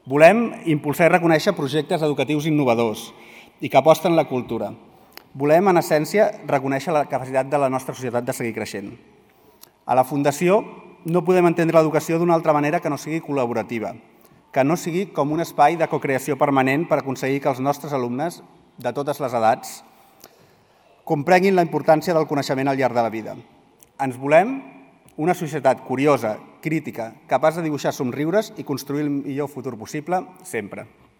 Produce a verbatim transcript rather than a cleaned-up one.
Volem impulsar i reconèixer projectes educatius innovadors i que aposten la cultura. Volem, en essència, reconèixer la capacitat de la nostra societat de seguir creixent. A la Fundació no podem entendre l'educació d'una altra manera que no sigui col·laborativa, que no sigui com un espai de cocreació permanent per aconseguir que els nostres alumnes, de totes les edats, comprenguin la importància del coneixement al llarg de la vida. Ens volem una societat curiosa, crítica, capaç de dibuixar somriures i construir el millor futur possible sempre.